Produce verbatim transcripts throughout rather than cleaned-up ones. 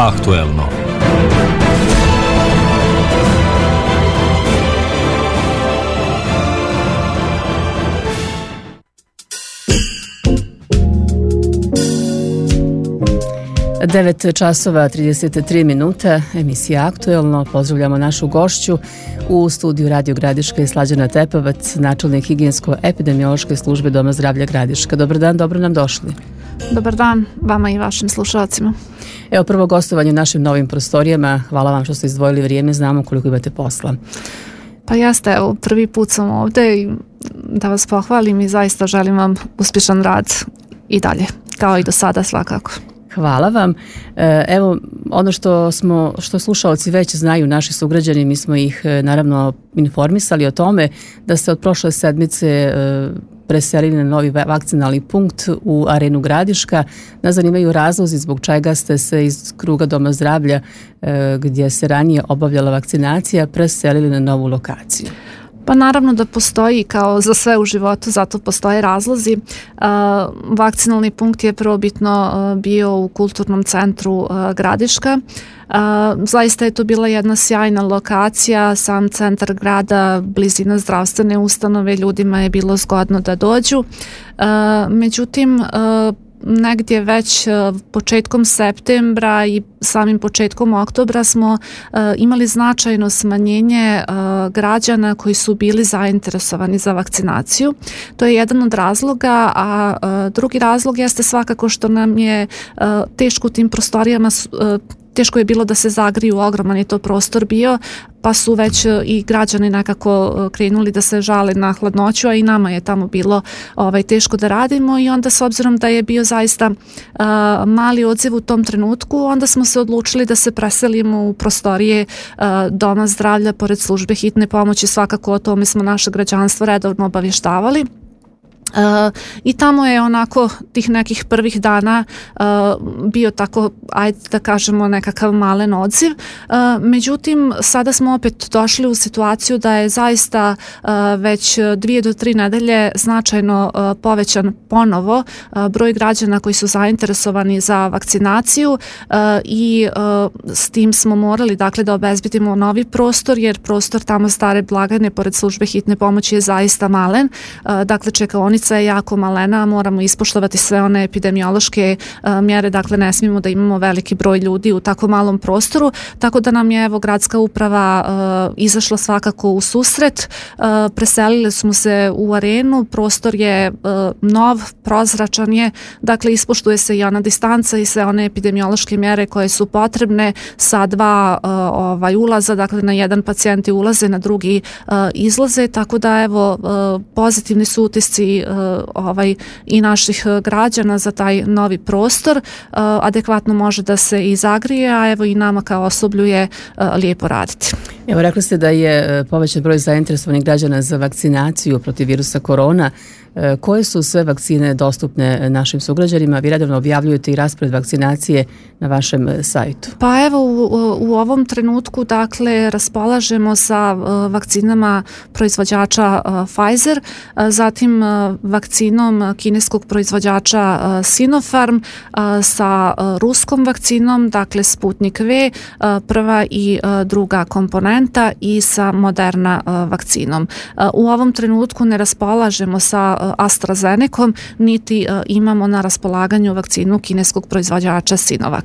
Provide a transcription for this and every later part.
Aktuelno. devet časova trideset tri minute, emisija Aktuelno. Pozdravljamo našu gošću u studiju Radio Gradiška i Slađana Tepovac, načelnik higijensko-epidemiološke službe Doma zdravlja Gradiška. Dobar dan, dobro nam došli. Dobar dan vama i vašim slušalcima. Evo, prvo gostovanje u našim novim prostorijama. Hvala vam što ste izdvojili vrijeme, znamo koliko imate posla. Pa jeste, evo, prvi put sam ovdje i da vas pohvalim i zaista želim vam uspješan rad i dalje, kao i do sada svakako. Hvala vam. Evo, ono što smo, što slušaoci već znaju, naši sugrađani, mi smo ih naravno informisali o tome da ste od prošle sedmice preselili na novi vakcinalni punkt u Arenu Gradiška. Nas zanimaju razlozi zbog čega ste se iz kruga Doma zdravlja, gdje se ranije obavljala vakcinacija, preselili na novu lokaciju. Pa naravno da postoji, kao za sve u životu, zato postoje razlozi. Uh, vakcinalni punkt je prvobitno uh, bio u kulturnom centru uh, Gradiška. Uh, zaista je to bila jedna sjajna lokacija, sam centar grada, blizina zdravstvene ustanove, ljudima je bilo zgodno da dođu. Uh, međutim, uh, negdje već početkom septembra i samim početkom oktobra smo uh, imali značajno smanjenje uh, građana koji su bili zainteresovani za vakcinaciju. To je jedan od razloga, a uh, drugi razlog jeste svakako što nam je uh, teško u tim prostorijama uh, teško je bilo da se zagriju, ogroman je to prostor bio, pa su već i građani nekako krenuli da se žale na hladnoću, a i nama je tamo bilo ovaj, teško da radimo i onda s obzirom da je bio zaista uh, mali odziv u tom trenutku, onda smo se odlučili da se preselimo u prostorije uh, Doma zdravlja pored službe hitne pomoći, svakako o tome smo naše građanstvo redovno obavještavali. Uh, i tamo je onako tih nekih prvih dana uh, bio tako, ajde da kažemo, nekakav malen odziv. Uh, međutim, sada smo opet došli u situaciju da je zaista uh, već dvije do tri nedelje značajno uh, povećan ponovo uh, broj građana koji su zainteresovani za vakcinaciju uh, i uh, s tim smo morali dakle da obezbedimo novi prostor, jer prostor tamo stare blagajne pored službe hitne pomoći je zaista malen. Uh, dakle, čekaonica je jako malena, moramo ispoštovati sve one epidemiološke uh, mjere, dakle ne smijemo da imamo veliki broj ljudi u tako malom prostoru, tako da nam je evo gradska uprava uh, izašla svakako u susret. Uh, preselili smo se u Arenu, prostor je uh, nov, prozračan je, dakle ispoštuje se i ona distanca i sve one epidemiološke mjere koje su potrebne sa dva uh, ovaj, ulaza, dakle na jedan pacijenti ulaze, na drugi uh, izlaze, tako da evo uh, pozitivni su utisci uh, ovaj, i naših građana za taj novi prostor. Uh, adekvatno može da se i zagrije, a evo i nama kao osoblju je uh, lijepo raditi. Evo, rekli ste da je povećan broj zainteresovanih građana za vakcinaciju protiv virusa korona. Koje su sve vakcine dostupne našim sugrađanima? Vi redovno objavljujete i raspored vakcinacije na vašem sajtu. Pa evo u, u ovom trenutku dakle raspolažemo sa uh, vakcinama proizvođača uh, Pfizer, uh, zatim uh, vakcinom kineskog proizvođača uh, Sinopharm, uh, sa uh, ruskom vakcinom, dakle Sputnik V, uh, prva i uh, druga komponenta, i sa Moderna uh, vakcinom. Uh, u ovom trenutku ne raspolažemo sa AstraZenecom, niti uh, imamo na raspolaganju vakcinu kineskog proizvođača Sinovac.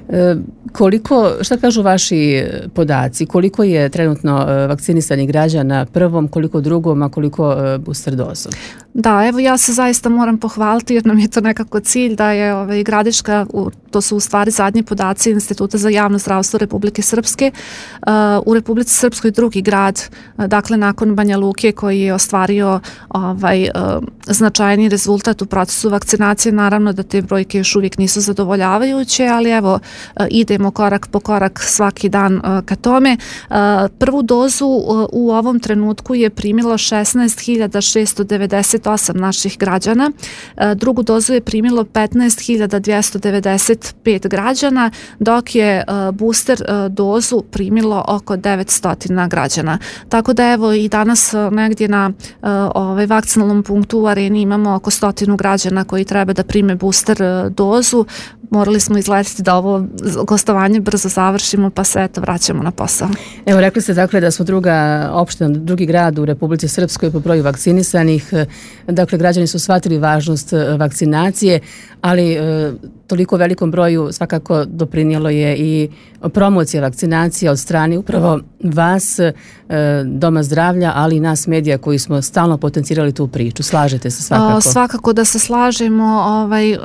E, koliko, šta kažu vaši podaci? Koliko je trenutno vakcinisanih građana prvom, koliko drugom, a koliko booster dozom? Da, evo ja se zaista moram pohvaliti jer nam je to nekako cilj da je ovaj, Gradiška, to su u stvari zadnji podaci Instituta za javno zdravstvo Republike Srpske, uh, u Republici Srpskoj drugi grad, uh, dakle nakon Banja Luke koji je ostvario ovaj, uh, značajni rezultat u procesu vakcinacije. Naravno da te brojke još uvijek nisu zadovoljavajuće, ali evo uh, idemo korak po korak svaki dan uh, ka tome. Uh, prvu dozu uh, u ovom trenutku je primilo šesnaest hiljada šesto devedeset osam naših građana, uh, drugu dozu je primilo petnaest hiljada dvjesto devedeset pet građana, dok je uh, booster uh, dozu primilo oko devetsto građana. Tako da evo i danas uh, negdje na uh, ovaj vakcinalnom punktu u Areni imamo oko stotinu građana koji treba da prime booster uh, dozu. morali smo izletiti da ovo gostovanje brzo završimo, pa se eto vraćamo na posao. Evo, rekli ste dakle da smo druga opština, drugi grad u Republici Srpskoj po broju vakcinisanih. Dakle, građani su shvatili važnost vakcinacije, ali e, toliko velikom broju svakako doprinijelo je i promocija vakcinacije od strane upravo vas, e, Doma zdravlja, ali i nas medija koji smo stalno potencirali tu priču. Slažete se svakako? O, svakako da se slažemo. Ovaj,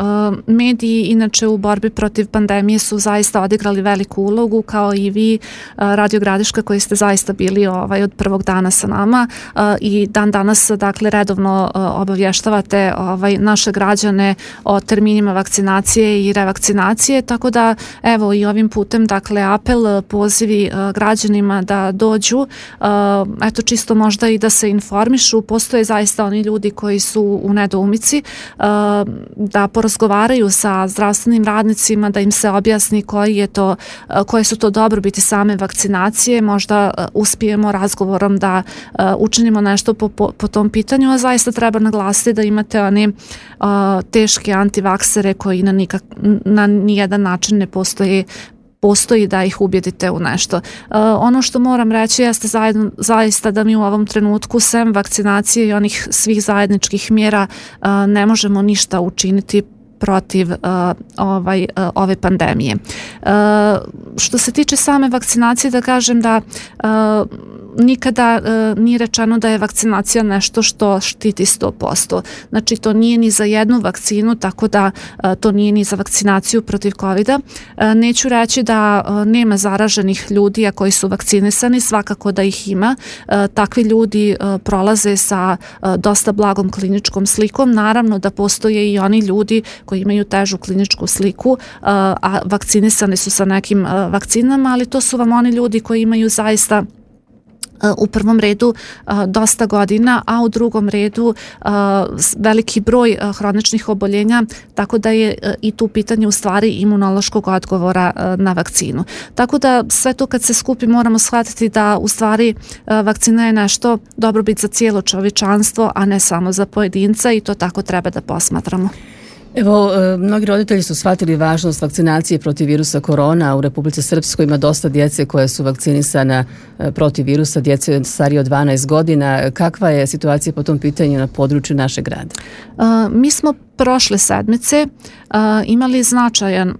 mediji inače u borbi protiv pandemije su zaista odigrali veliku ulogu, kao i vi, Radio Gradiška, koji ste zaista bili ovaj, od prvog dana sa nama i dan danas dakle redovno obavještavate ovaj, naše građane o terminima vakcinacije i revakcinacije, tako da evo i ovim putem dakle apel, pozivi građanima da dođu, eto čisto možda i da se informišu. Postoje zaista oni ljudi koji su u nedoumici, da porazgovaraju sa zdravstvenim radnicima, da im se objasni koji je to, koje su to dobrobiti same vakcinacije. Možda uspijemo razgovorom da učinimo nešto po, po, po tom pitanju, a zaista treba naglasiti da imate one teške antivaksere koji na, nikak, na nijedan način ne postoje postoji da ih ubjedite u nešto. Uh, ono što moram reći jeste zajedno, zaista da mi u ovom trenutku sem vakcinacije i onih svih zajedničkih mjera uh, ne možemo ništa učiniti protiv uh, ovaj, uh, ove pandemije. Uh, što se tiče same vakcinacije, da kažem da uh, nikada uh, nije rečeno da je vakcinacija nešto što štiti sto posto. Znači to nije ni za jednu vakcinu, tako da uh, to nije ni za vakcinaciju protiv covida. Uh, neću reći da uh, nema zaraženih ljudi a koji su vakcinisani, svakako da ih ima. Uh, takvi ljudi uh, prolaze sa uh, dosta blagom kliničkom slikom. Naravno da postoje i oni ljudi koji imaju težu kliničku sliku, uh, a vakcinisani su sa nekim uh, vakcinama, ali to su vam oni ljudi koji imaju zaista u prvom redu dosta godina, a u drugom redu veliki broj hroničnih oboljenja, tako da je i tu pitanje u stvari imunološkog odgovora na vakcinu. Tako da sve to kad se skupi moramo shvatiti da u stvari vakcina je nešto dobrobit za cijelo čovječanstvo, a ne samo za pojedinca i to tako treba da posmatramo. Evo, mnogi roditelji su shvatili važnost vakcinacije protiv virusa korona. U Republici Srpskoj ima dosta djece koje su vakcinisana protiv virusa, djece starije od dvanaest godina. Kakva je situacija po tom pitanju na području našeg grada? Uh, mi smo prošle sedmice uh, imali značajan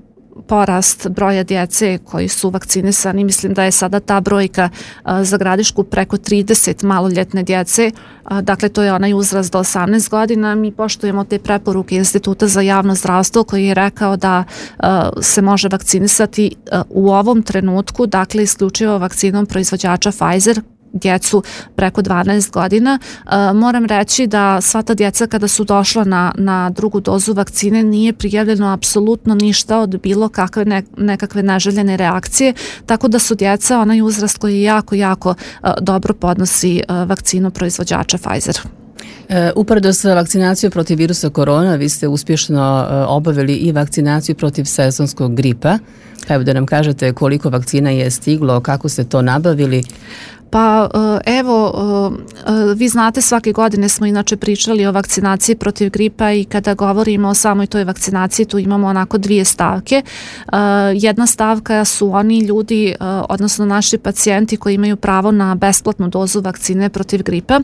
porast broja djece koji su vakcinisani. Mislim da je sada ta brojka a, za Gradišku preko trideset maloljetne djece. A, dakle, to je onaj uzrast do osamnaest godina. Mi poštujemo te preporuke Instituta za javno zdravstvo koji je rekao da a, se može vakcinisati a, u ovom trenutku, dakle, isključivo vakcinom proizvođača Pfizer, djecu preko dvanaest godina. Uh, moram reći da sva ta djeca kada su došla na, na drugu dozu vakcine nije prijavljeno apsolutno ništa od bilo kakve ne, nekakve neželjene reakcije, tako da su djeca onaj uzrast koji jako, jako uh, dobro podnosi uh, vakcinu proizvođača Pfizer. E, uporedo sa vakcinacijom protiv virusa korona, vi ste uspješno e, obavili i vakcinaciju protiv sezonskog gripa. Pa evo da nam kažete koliko vakcina je stiglo, kako ste to nabavili? Pa evo, vi znate, svake godine smo inače pričali o vakcinaciji protiv gripa i kada govorimo o samoj toj vakcinaciji tu imamo onako dvije stavke. Jedna stavka su oni ljudi, odnosno naši pacijenti koji imaju pravo na besplatnu dozu vakcine protiv gripa.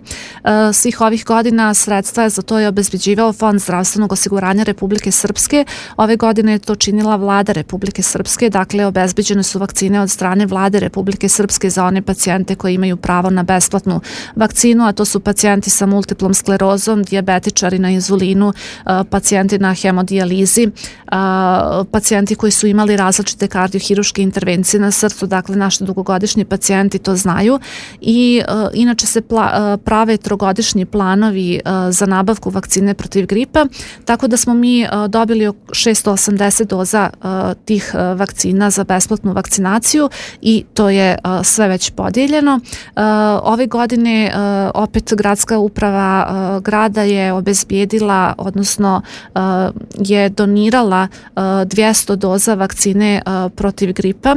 Svih ovih godina sredstva za to je obezbeđivao Fond zdravstvenog osiguranja Republike Srpske. Ove godine je to činila Vlada Republike Srpske, dakle obezbeđene su vakcine od strane Vlade Republike Srpske za one pacijente koji imaju pravo na besplatnu vakcinu, a to su pacijenti sa multiplom sklerozom, dijabetičari na inzulinu, pacijenti na hemodijalizi, pacijenti koji su imali različite kardiohiruške intervencije na srcu, dakle naši dugogodišnji pacijenti to znaju i inače se prave trogodišnji planovi za nabavku vakcine protiv gripa, tako da smo mi dobili šesto osamdeset doza tih vakcina vakcina za besplatnu vakcinaciju i to je sve već podijeljeno. Ove godine opet gradska uprava grada je obezbijedila, odnosno je donirala dvjesto doza vakcine protiv gripa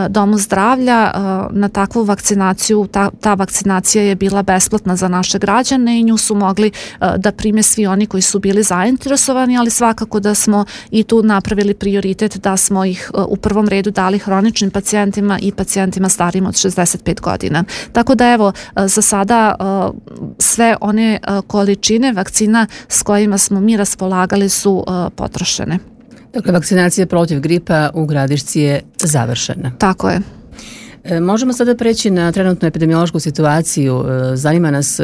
Domu zdravlja. Na takvu vakcinaciju, ta, ta vakcinacija je bila besplatna za naše građane i nju su mogli da prime svi oni koji su bili zainteresovani, ali svakako da smo i tu napravili prioritet da smo ih u prvom redu dali hroničnim pacijentima i pacijentima starijim od šezdeset pet godina. Tako da evo, za sada sve one količine vakcina s kojima smo mi raspolagali su potrošene. Dakle, vakcinacija protiv gripa u Gradišci je završena. Tako je. Možemo sada preći na trenutnu epidemiološku situaciju. Zanima nas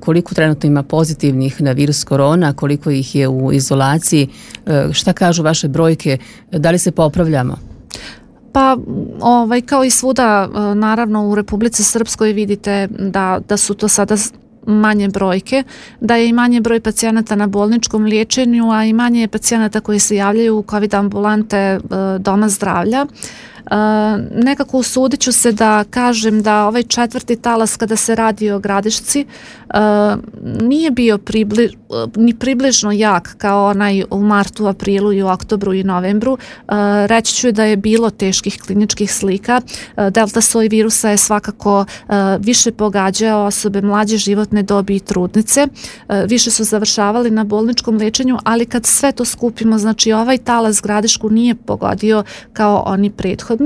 koliko trenutno ima pozitivnih na virus korona, koliko ih je u izolaciji, šta kažu vaše brojke, da li se popravljamo? Pa ovaj, kao i svuda, naravno u Republici Srpskoj vidite da, da su to sada manje brojke, da je i manje broj pacijenata na bolničkom liječenju, a i manje pacijenata koji se javljaju u COVID ambulante Doma zdravlja. Uh, nekako usudit ću se da kažem da ovaj četvrti talas kada se radi o Gradišci uh, nije bio pribli, uh, ni približno jak kao onaj u martu, aprilu i u oktobru i novembru. Uh, reći ću da je bilo teških kliničkih slika. Uh, delta soj virusa je svakako uh, više pogađao osobe mlađe životne dobi i trudnice. Uh, više su završavali na bolničkom liječenju, ali kad sve to skupimo, znači ovaj talas Gradišku nije pogodio kao oni prethodni. Uh,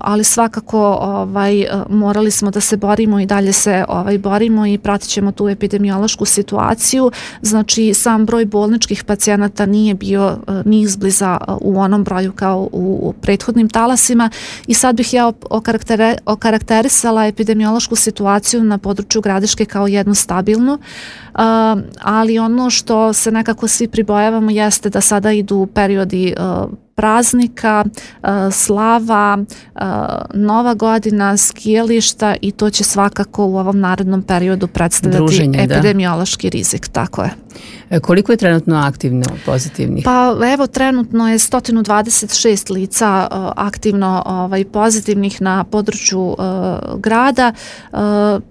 ali svakako ovaj, morali smo da se borimo i dalje se ovaj, borimo i pratit ćemo tu epidemiološku situaciju. Znači sam broj bolničkih pacijenata nije bio uh, ni izbliza uh, u onom broju kao u, u prethodnim talasima i sad bih ja okaraktere, okarakterisala epidemiološku situaciju na području Gradiške kao jednu stabilnu, uh, ali ono što se nekako svi pribojavamo jeste da sada idu periodi uh, praznika, slava, Nova godina, skijališta i to će svakako u ovom narednom periodu predstavljati druženje, epidemiološki da. rizik. Tako je. Koliko je trenutno aktivno pozitivnih? Pa evo, trenutno je sto dvadeset šest lica uh, aktivno ovaj, pozitivnih na području uh, grada, uh,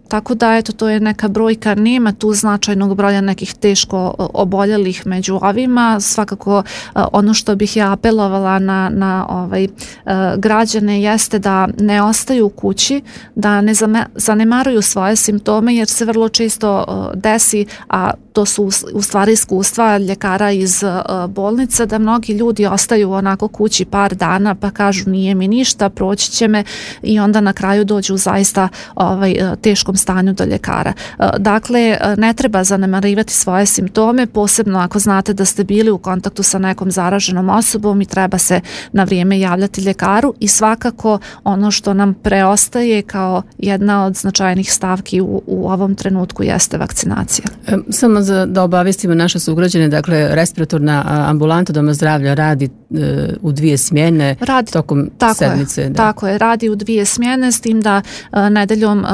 tako da eto, to je neka brojka, nema tu značajnog broja nekih teško uh, oboljelih među ovima. Svakako uh, ono što bih ja apelovala na, na ovaj, uh, građane jeste da ne ostaju u kući, da ne zame, zanemaruju svoje simptome jer se vrlo često uh, desi, a to su u stvari iskustva ljekara iz uh, bolnice, da mnogi ljudi ostaju onako kući par dana pa kažu nije mi ništa, proći će me i onda na kraju dođu u zaista ovaj, uh, teškom stanju do ljekara. Uh, dakle, uh, ne treba zanemarivati svoje simptome, posebno ako znate da ste bili u kontaktu sa nekom zaraženom osobom i treba se na vrijeme javljati ljekaru i svakako ono što nam preostaje kao jedna od značajnih stavki u, u ovom trenutku jeste vakcinacija. Samo za, da obavestimo naše sugrađane, dakle respiratorna ambulanta Doma zdravlja radi e, u dvije smjene radi, tokom tako sedmice. Je, da. Tako je, radi u dvije smjene s tim da e, nedeljom e,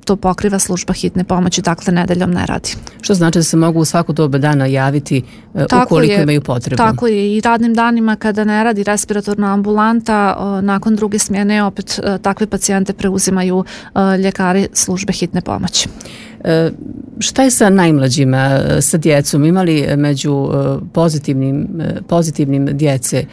to pokriva služba hitne pomoći, dakle nedeljom ne radi. Što znači da se mogu u svaku dobu dana javiti e, ukoliko je, imaju potrebu. Tako je, i radnim danima kada ne radi respiratorna ambulanta, e, nakon druge smjene opet e, takve pacijente preuzimaju e, ljekari službe hitne pomoći. E, šta je sa najmlađima, sa djecom? Imali među pozitivnim, pozitivnim djece?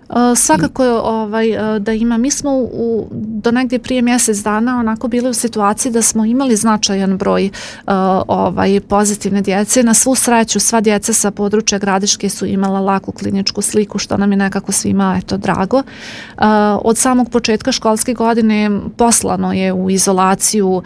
Uh, svakako ovaj, uh, da ima. Mi smo u, do negdje prije mjesec dana onako bili u situaciji da smo imali značajan broj uh, ovaj, pozitivne djece. Na svu sreću sva djeca sa područja Gradiške su imala laku kliničku sliku, što nam je nekako svima eto, drago. Uh, od samog početka školske godine poslano je u izolaciju uh,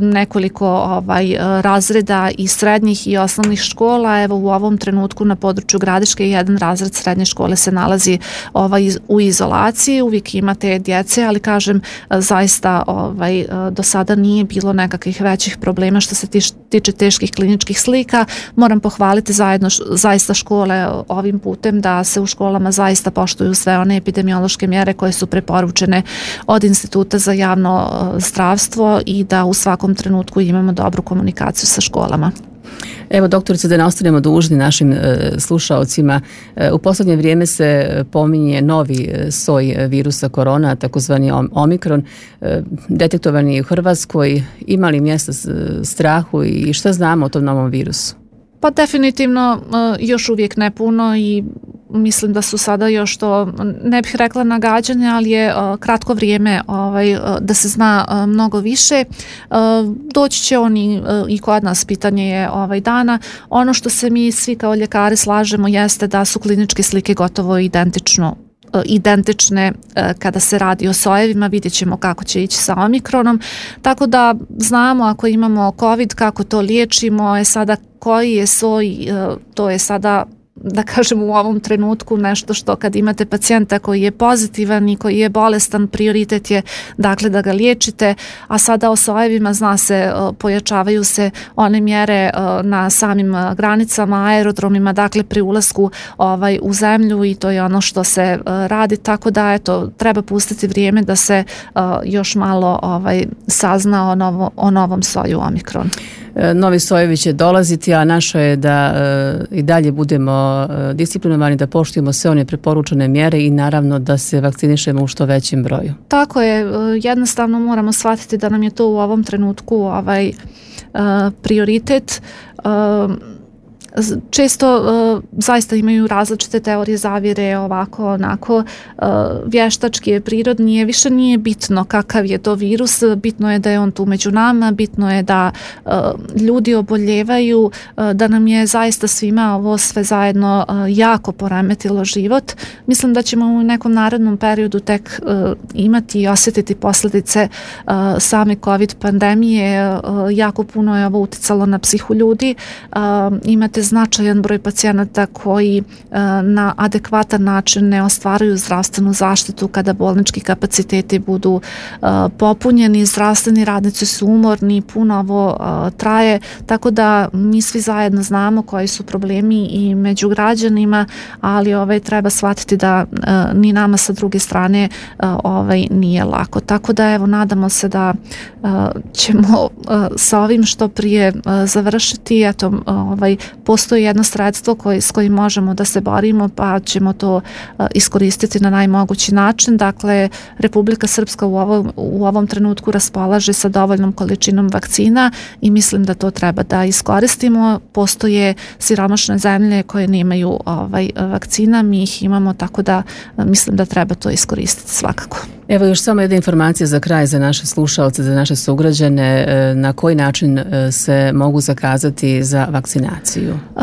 nekoliko ovaj, razreda i srednjih i osnovnih škola. Evo u ovom trenutku na području Gradiške jedan razred srednje škole se nalazi Ovaj, u izolaciji, uvijek imate djece, ali kažem zaista ovaj, do sada nije bilo nekakvih većih problema što se tiš, tiče teških kliničkih slika. Moram pohvaliti zajedno zaista škole ovim putem da se u školama zaista poštuju sve one epidemiološke mjere koje su preporučene od Instituta za javno zdravstvo i da u svakom trenutku imamo dobru komunikaciju sa školama. Evo, doktorice, da ne ostanemo dužni našim e, slušaocima, e, u posljednje vrijeme se pominje novi soj virusa korona, takozvani omikron, e, detektovan je u Hrvatskoj. Ima li mjesta strahu i šta znamo o tom novom virusu? Pa definitivno još uvijek ne puno i mislim da su sada još to, ne bih rekla nagađanje, ali je kratko vrijeme ovaj, da se zna mnogo više. Doći će oni i kod nas, pitanje je ovaj dana. Ono što se mi svi kao ljekari slažemo jeste da su kliničke slike gotovo identično identične kada se radi o sojevima, vidjet ćemo kako će ići sa omikronom, tako da znamo ako imamo COVID kako to liječimo, je sada koji je soj, to je sada, da kažem, u ovom trenutku nešto što kad imate pacijenta koji je pozitivan i koji je bolestan, prioritet je dakle da ga liječite, a sada o sojevima zna se, pojačavaju se one mjere na samim granicama, aerodromima, dakle pri ulasku ovaj, u zemlju i to je ono što se radi, tako da eto, treba pustiti vrijeme da se još malo ovaj, sazna o, novo, o novom soju omikron. Novi sojevi će dolaziti, a naše je da e, i dalje budemo e, disciplinovani, da poštujemo sve one preporučene mjere i naravno da se vakcinišemo u što većem broju. Tako je, jednostavno moramo shvatiti da nam je to u ovom trenutku ovaj, uh, prioritet. Uh, Često uh, zaista imaju različite teorije zavjere, ovako, onako, uh, vještački je, prirodni je, više nije bitno kakav je to virus, bitno je da je on tu među nama, bitno je da uh, ljudi oboljevaju, uh, da nam je zaista svima ovo sve zajedno uh, jako poremetilo život. Mislim da ćemo u nekom narednom periodu tek uh, imati i osjetiti posljedice uh, same COVID pandemije, uh, jako puno je ovo uticalo na psihu ljudi, uh, imate značajan broj pacijenata koji uh, na adekvatan način ne ostvaruju zdravstvenu zaštitu kada bolnički kapaciteti budu uh, popunjeni, zdravstveni radnici su umorni, puno ovo uh, traje, tako da mi svi zajedno znamo koji su problemi i među građanima, ali ovaj, treba shvatiti da uh, ni nama sa druge strane uh, ovaj, nije lako. Tako da evo, nadamo se da uh, ćemo uh, sa ovim što prije uh, završiti, eto, ovaj, postoji jedno sredstvo koji, s kojim možemo da se borimo, pa ćemo to uh, iskoristiti na najmogući način. Dakle, Republika Srpska u ovom, u ovom trenutku raspolaže sa dovoljnom količinom vakcina i mislim da to treba da iskoristimo. Postoje siromašne zemlje koje nemaju ovaj, vakcina, mi ih imamo, tako da uh, mislim da treba to iskoristiti svakako. Evo još samo jedna informacija za kraj za naše slušalce, za naše sugrađane, na koji način se mogu zakazati za vakcinaciju? Uh,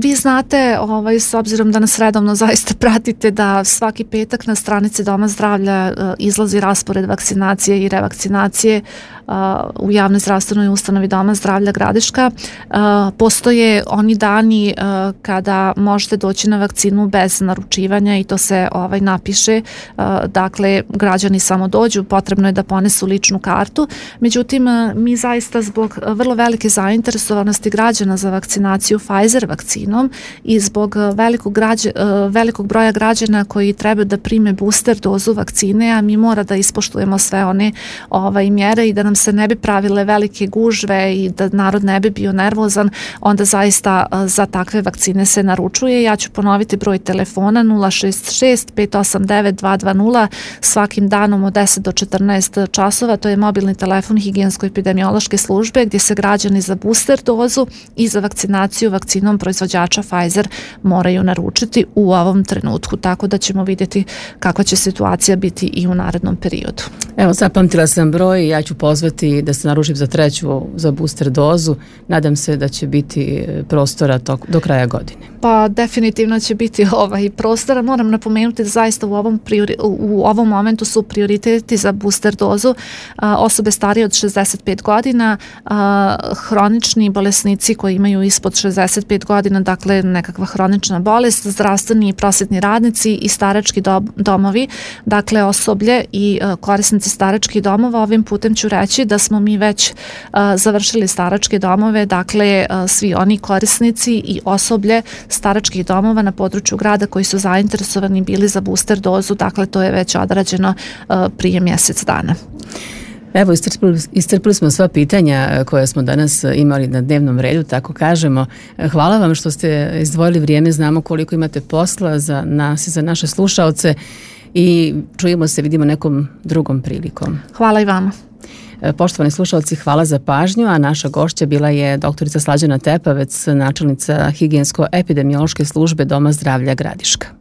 vi znate, ovaj, s obzirom da nas redovno zaista pratite, da svaki petak na stranici Doma zdravlja uh, izlazi raspored vakcinacije i revakcinacije uh, u javnoj zdravstvenoj ustanovi Doma zdravlja Gradiška. Uh, postoje oni dani uh, kada možete doći na vakcinu bez naručivanja i to se ovaj, napiše, uh, dakle građani samo dođu, potrebno je da ponesu ličnu kartu. Međutim, mi zaista zbog vrlo velike zainteresovanosti građana za vakcinaciju Pfizer vakcinom i zbog velikog, građa, velikog broja građana koji treba da prime booster dozu vakcine, a mi mora da ispoštujemo sve one ovaj, mjere i da nam se ne bi pravile velike gužve i da narod ne bi bio nervozan, onda zaista za takve vakcine se naručuje. Ja ću ponoviti broj telefona nula šest šest pet osam devet dva dva nula svakim danom od deset do četrnaest časova, to je mobilni telefon higijensko-epidemiološke službe gdje se građani za booster dozu i za vakcinaciju vakcinom proizvođača Pfizer moraju naručiti u ovom trenutku, tako da ćemo vidjeti kakva će situacija biti i u narednom periodu. Evo, zapamtila sam broj, ja ću pozvati da se naručim za treću, za booster dozu. Nadam se da će biti prostora tok, do kraja godine. Pa definitivno će biti ovaj prostora. Moram napomenuti da zaista u ovom, priori, u ovom momentu su prioriteti za booster dozu a, osobe starije od šezdeset pet godina, a, hronični bolesnici koji imaju ispod šezdeset pet godina, dakle nekakva hronična bolest, zdravstveni i prosvjetni radnici i starački do, domovi, dakle osoblje i a, korisnici staračkih domova. Ovim putem ću reći da smo mi već a, završili staračke domove, dakle a, svi oni korisnici i osoblje staračkih domova na području grada koji su zainteresovani bili za booster dozu, dakle to je već odrađeno uh, prije mjesec dana. Evo, iscrpili, iscrpili smo sva pitanja koja smo danas imali na dnevnom redu, tako kažemo. Hvala vam što ste izdvojili vrijeme, znamo koliko imate posla za nas i za naše slušaoce i čujemo se, vidimo nekom drugom prilikom. Hvala i vama. Poštovani slušalci, hvala za pažnju, a naša gošća bila je doktorica Slađana Tepavec, načelnica higijensko-epidemiološke službe Doma zdravlja Gradiška.